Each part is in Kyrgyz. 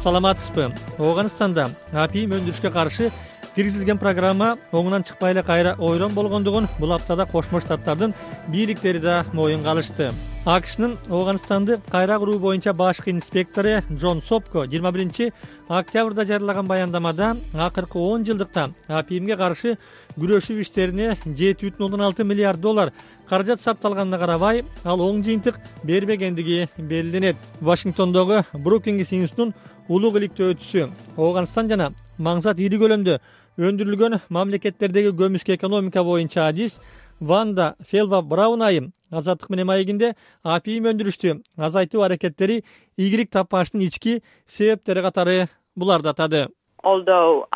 саламатсызбы? Ооганстанда апийим өндүрүшкө каршы киргизилген программа оңунан чыкпай эле кайра ойрон болгондугун бул аптада Кошмо Штаттардын бийликтери да моюнга алышты. АКШнын Ооганстанды кайра куруу боюнча башкы инспектору Джон Сопко 21 октябрда жарыялаган баяндамада акыркы 10 жылдыкта апийимге каршы күрөшүү иштерине $7,6 миллиард каражат сарпталганына карабай, ал оң жыйынтык бербегендиги белгиленет. Вашингтондогу Брукингс институтунун улуг иликтөөчүсү Ооганстан жана маңзат ири көлөмдө өндүрүлгөн мамлекеттердеги көмүскө экономика боюнча адис Ванда Фелва-Браун айым Азаттык менен маегинде апийим өндүрүштү азайтуу аракеттери ийгилик таппаштын ички себептери катары буларды атады. Although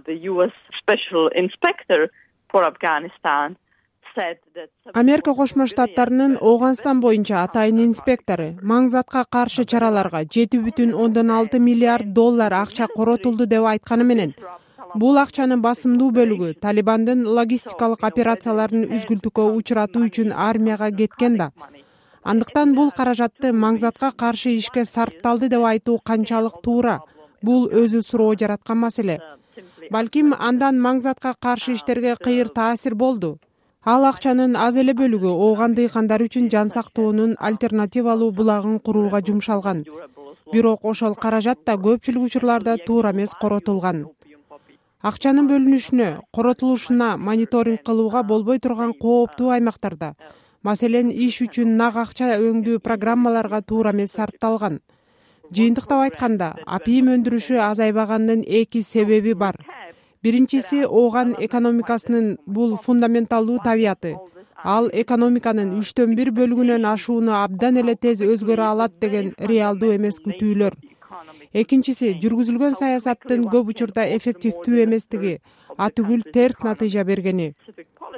the US Special Inspector for Afghanistan said that Америка Кошмо Штаттарынын Ооганстан боюнча атайын инспектору маңзатка каршы чараларга $7,6 миллиард акча коротулду деп айтканы менен, бул акчанын басымдуу бөлүгү Талибандын логистикалык операцияларын үзгүлтүккө учуратуу үчүн армияга кеткен да. Андыктан бул каражатты маңзатка каршы ишке сарпталды деп айтуу канчалык туура? Бул өзү суроо жараткан маселе. Балким андан маңзатка каршы иштерге кыйыр таасир болду. Ал акчанын аз эле бөлүгү ооган дыйкандар үчүн жан сактоонун альтернативалуу булагын курууга жумшалган. Бирок ошол каражат да көпчүлүк учурларда туура эмес коротулган. Акчанын бөлүнүшүнө, коротулушуна мониторинг кылууга болбой турган кооптуу аймактарда, маселен, иш үчүн нак акча өңдүү программаларга туура эмес сарпталган. Жыйынтыктап айтканда, апийим өндүрүшү азайбаганынын эки себеби бар. Биринчиси ооган экономикасынын бул фундаменталдуу табияты. Ал экономиканын 1/3 бөлүгүнөн ашууну абдан эле тез өзгөрө алат деген реалдуу эмес күтүүлөр. Экинчиси, жүргүзүлгөн саясаттын көп учурда эффективдүү эместиги, атүгүл терс натыйжа бергени.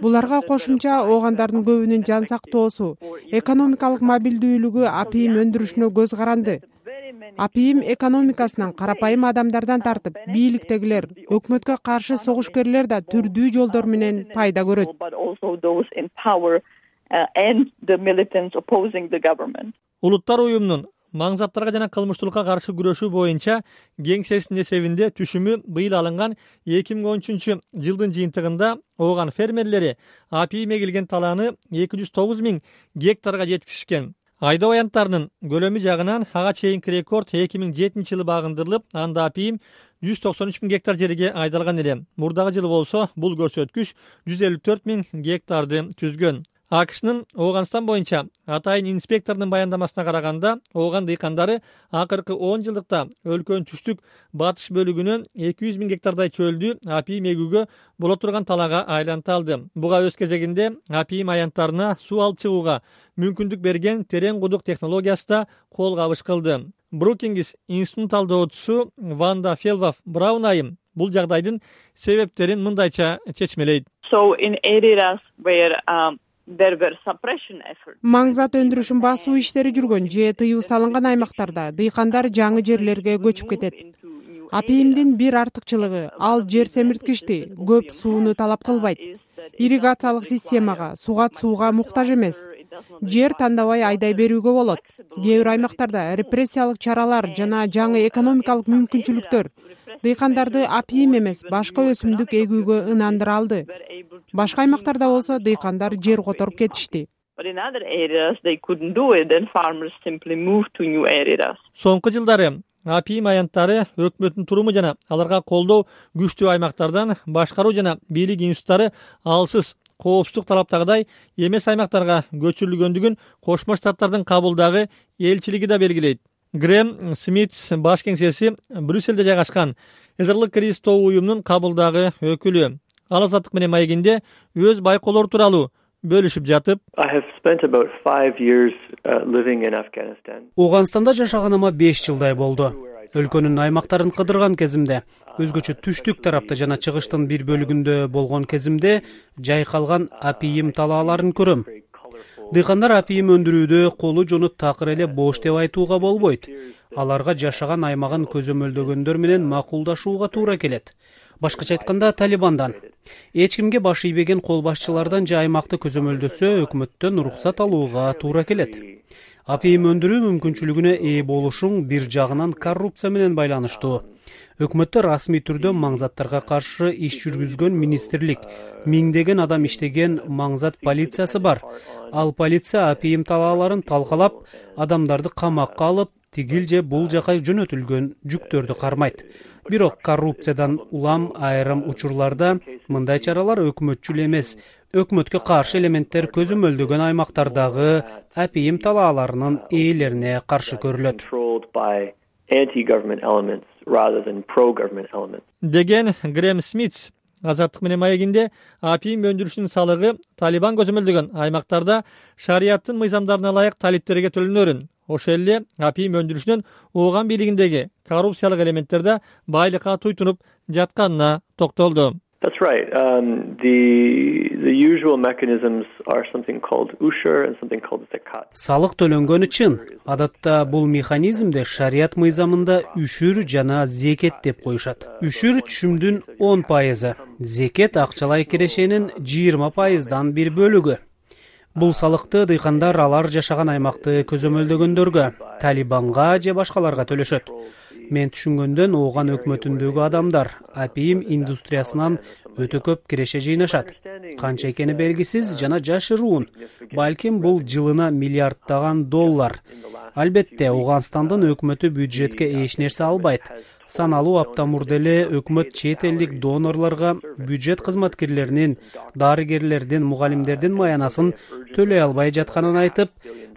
Буларга кошумча оогандардын көбүнүн жан сактоосу, экономикалык мобилдүүлүгү апийим өндүрүшүнө көз каранды. Апийим экономикасынан карапайым адамдардан тартып, бийликтегилер, өкмөткө каршы согушкерлер да түрдүү жолдор менен пайда көрөт. Улуттар уюмунун маңзаттарга жана кылмыштуулукка каршы күрөшүү боюнча кеңсесинин эсебинде түшүмү быйыл алынган 2013 жылдын жыйынтыгында ооган фермерлери апийим эгилген талааны 209 000 гектарга жеткизишкен. Айдоо аянттарынын көлөмү жагынан ага чейинки рекорд 2007 жылы багындырылып, анда апийим 193 000 гектар жерге айдалган эле. Мурдагы жылы болсо бул көрсөткүч 154 000 гектарды түзгөн. АКШнын Ооганстан боюнча атайын инспектордун баяндамасына караганда, ооган дыйкандары акыркы 10 жылдыкта өлкөнүн түштүк батыш бөлүгүнөн 200 000 гектардай чөлдү апийим эгүүгө боло турган талаага айланталды. Буга өз кезегинде апийим аянттарына суу алып чыгууга мүмкүндүк берген терең кудук технологиясы да кол кабыш кылды. Брукингс институтунун талдоочусу Ванда Фелва-Браун айым бул жагдайдын себептерин мындайча чечмелейт. Маңзат өндүрүшүн басуу иштери жүргөн же тыюу салынган аймактарда дыйкандар жаңы жерлерге көчүп кетет. Апийимдин бир артыкчылыгы, ал жер семирткичти, көп сууну талап кылбайт. Ирригациялык системага, сууга муктаж эмес. Жер тандабай айдай берүүгө болот. Кээ бир аймактарда репрессиялык чаралар жана жаңы экономикалык мүмкүнчүлүктөр дыйкандарды апийим эмес, башка өсүмдүк эгүүгө ынандыра алды. Башка аймактарда болсо дыйкандар жер которуп кетишти. Соңку жылдары апийим аянттары өкмөттүн туруму жана аларга колдоо күчтүү аймактардан башкаруу жана бийлик институттары алсыз коопсуздук талаптагыдай эмес аймактарга көчүрүлгөндүгүн Кошмо Штаттардын Кабулдагы элчилиги да белгилейт. Грэм Смит баш кеңсеси Брюссельде жайгашкан Эзерлик Кристо уюмунун Кабулдагы өкүлү. Ал Азаттык менен маегинде өз байкоолору тууралуу бөлүшүп жатып, Ооганстанда жашаганыма 5 жылдай болду. Өлкөнүн аймактарын кыдырган кезимде, өзгөчө түштүк тарапта жана чыгыштын бир бөлүгүндө болгон кезимде жайкалган апийим талааларын көрөм. Дыйкандар апийим өндүрүүдө колу жону такыр эле бош деп айтууга болбойт. Аларга жашаган аймагын көзөмөлдөгөндөр менен макулдашууга туура келет. Башкача айтканда, Талибандан эч кимге баш ийбеген кол башчылардан же аймакты көзөмөлдөсө, өкмөттөн уруксат алууга туура келет. Апийим өндүрүү мүмкүнчүлүгүнө ээ болушуң бир жагынан коррупция менен байланыштуу. Өкмөттө расмий түрдө маңзаттарга каршы иш жүргүзгөн министрлик, миңдеген адам иштеген маңзат полициясы бар. Ал полиция апийим талааларын талкалап, адамдарды камакка алып, тигил же бул жака жөнөтүлгөн жүктөрдү кармайт. Бирок коррупциядан улам айрым учурларда мындай чаралар өкмөтчүл эмес, өкмөткө каршы элементтер көзөмөлдөгөн аймактардагы апийим талааларынын ээлерине каршы көрүлөт деген Грэм Смит Азаттык менен маегинде апийим өндүрүшүнүн салыгы Талибан көзөмөлдөгөн аймактарда шарияттын мыйзамдарына ылайык талиптерге төлөнөрүн, ошол эле апийим өндүрүшүнүн Ооган бийлигиндеги коррупциялык элементтерде байлыкка туйтунуп жатканына токтолду. That's right. The usual mechanisms are something called ushur and something called zakat. Салык төлөнгөн үчүн адатта бул механизмде шарият мыйзамында үшүр жана зекет деп коюшат. Үшүр түшүмдүн 10%, зекет акчалай кирешенин 20%дан бир бөлүгү. Бул салыкты дыйкандар алар жашаган аймакты көзөмөлдөгөндөргө, Талибанга же башкаларга төлөшөт. Мен түшүнгөндөн Ооган өкмөтүндөгү адамдар апийим индустриясынан өтө көп киреше жыйнашат. Канча экени белгисиз жана жашыруун. Балким бул жылына миллиарддаган доллар. Албетте, Ооганстандын өкмөтү бюджетке эч нерсе албайт. Саналуу апта мурда эле өкмөт чет элдик донорлорго бюджет кызматкерлеринин, дарыгерлердин, мугалимдердин маянасын төлөй албай жатканын айтып,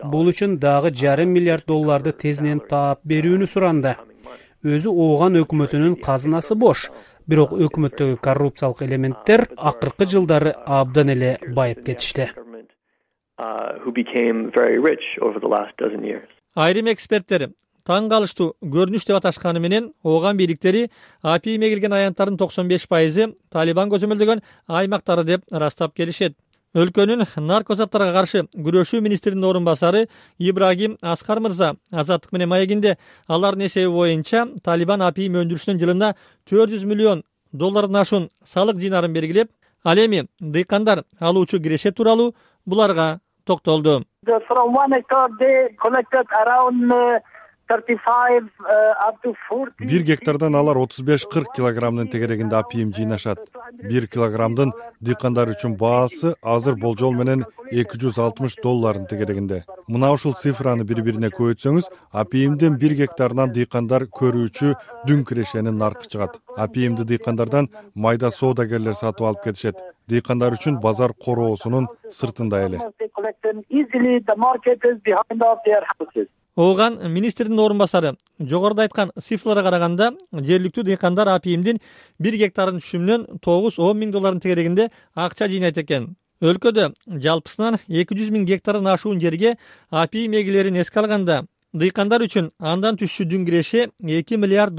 бул үчүн дагы $5 миллиард тезинен таап берүүнү суранды. Өзү Ооган өкмөтүнүн казынасы бош, бирок өкмөттөгү коррупциялык элементтер акыркы жылдары абдан эле байып кетишти. Айрым эксперттер таң калыштуу көрүнүш деп аташканы менен Ооган бийликтери апийимге келген аянттардын 95%ы Талибан көзөмөлдөгөн аймактары деп ырастап келишет. Өлкөнүн наркозаттарга каршы күрөшүү министринин орун басары Ибрагим Аскар мырза Азаттык менен маегинде алардын эсеби боюнча Талибан апийим өндүрүшүнүн жылына $400 миллион ашуун салык жыйнарын белгилеп, ал эми дыйкандар алуучу киреше тууралуу буларга токтолду. Бир гектардан алар 35-40 килограммдын тегерегинде апийим жыйнашат. 1 килограммдын дыйкандар үчүн баасы азыр болжол менен $260 тегерегинде. Мына ушул цифраны бири-бирине көбөйтсөңүз, апийимдин 1 гектарынан дыйкандар көрүүчү дүң кирешенин наркы чыгат. Апийимди дыйкандардан майда соодагерлер сатып алып кетишет. Дыйкандар үчүн базар короосунун сыртында эле. Ооган министрдин орун басары жогоруда айткан цифрларга караганда жергиликтүү дыйкандар апийимдин 1 гектарын түшүмүнөн $9-10 миң тегерегинде акча жыйнайт экен. Өлкөдө жалпысынан 200 миң гектардан ашуун жерге апийим эгелерин эске алганда, дыйкандар үчүн андан түшчү дүң киреше $2 миллиард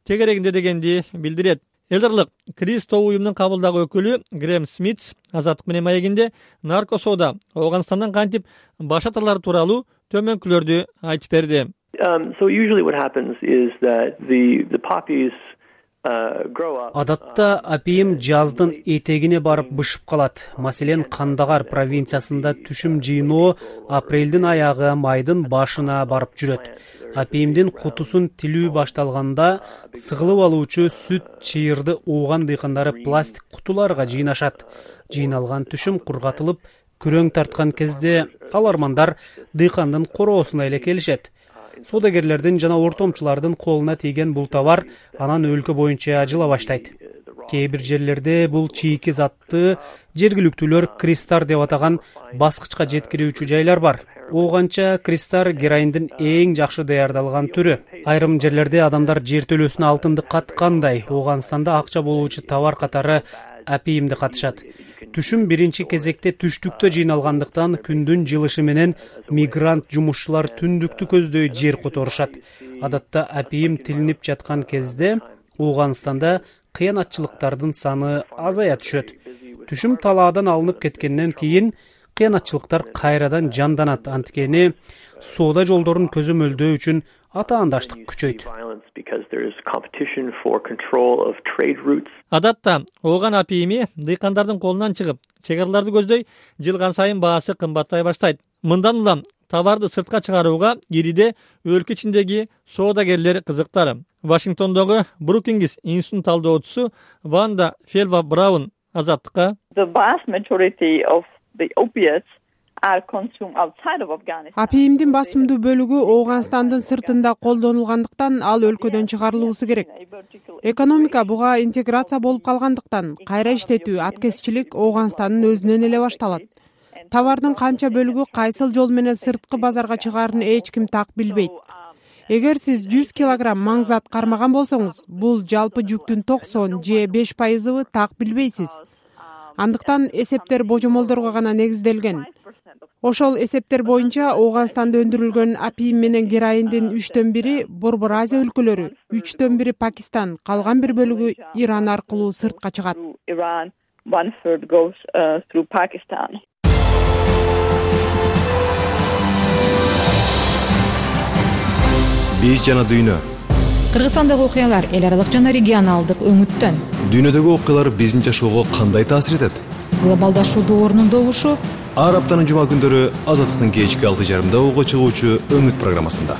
тегерегинде дегенди билдирет. Элдарлык Криз тобу уюмунун кабылдагы өкүлү Грэм Смит Азаттык менен маегинде наркосоода Ооганстандан кантип баш атарлары тууралуу төмөнкүлөрдү айтып берди. So usually what happens is that the poppies Адатта апийим жаздын этегине барып бышып калат. Маселен, Кандагар провинциясында түшүм жыйноо апрелдин аягы, майдын башына барып жүрөт. Апийимдин кутусун тилүү башталганда сыгылып алуучу сүт чыйырды Ооган дыйкандары пластик кутуларга жыйнашат. Жыйналган түшүм кургатылып, күрөң тарткан кезде алармандар дыйкандын короосуна эле келишет. Соодагерлердин жана ортомчулардын колуна тийген бул товар анан өлкө боюнча жыла баштайт. Кээ бир жерлерде бул чийки затты жергиликтүүлөр кристар деп атаган баскычка жеткирүүчү жайлар бар. Ооганча кристар героиндин эң жакшы даярдалган түрү. Айрым жерлерде адамдар жер төлөөсүнө алтынды каткандай Ооганстанда акча болуучу товар катары апийимди катышат. Түшүм биринчи кезекте түштүктө жыйналгандыктан күндүн жылышы менен мигрант жумушчулар түндүктү көздөй жер которушат. Адатта апийим тилинип жаткан кезде Ооганстанда кыянатчылыктардын саны азая түшөт. Түшүм талаадан алынып кеткенден кийин кыянатчылыктар кайрадан жанданат, анткени соода жолдорун көзөмөлдөө үчүн атаандаштык күчөйт. Адатта Ооган апийими дыйкандардын колунан чыгып, чек араларды көздөй жылган сайын баасы кымбаттай баштайт. Мындан улам товарды сыртка чыгарууга кириде өлкө ичиндеги соодагерлер кызыктар. Вашингтондогу Brookings институтунун талдоочусу Ванда Фелва Браун Азаттыкка The vast majority of the opiates are consumed outside of Afghanistan. Апиимдин басымдуу бөлүгү Ооганстандын сыртында колдонулгандыктан ал өлкөдөн чыгарылуусу керек. Экономика буга интеграция болуп калгандыктан кайра иштетүү, аткезчилик Ооганстандын өзүнөн эле башталат. Товардын канча бөлүгү кайсыл жол менен сырткы базарга чыгаарын эч ким так билбейт. Эгер сиз 100 килограмм маңзат кармаган болсоңуз, бул жалпы жүктүн 90 же 5%ы так билбейсиз. Андыктан эсептер божомолдорго гана негизделген. Ошол эсептер боюнча Ооганстанда өндүрүлгөн апиим менен героиндин 3/1 Борбор Азия өлкөлөрү, 3/1 Пакистан, калган бир бөлүгү Иран аркылуу сыртка чыгат. Iran, 1/3 goes through Pakistan. Биз жана дүйнө. Кыргызстандагы окуялар эл аралык жана регионалдык өңүттөн. Дүйнөдөгү окуялар биздин жашоого кандай таасир этет? Глобалдашуудун орнундогушу Ар аптанын жума күндөрү Азаттыктын кечки 6:30 чыгуучу Өңүт программасында.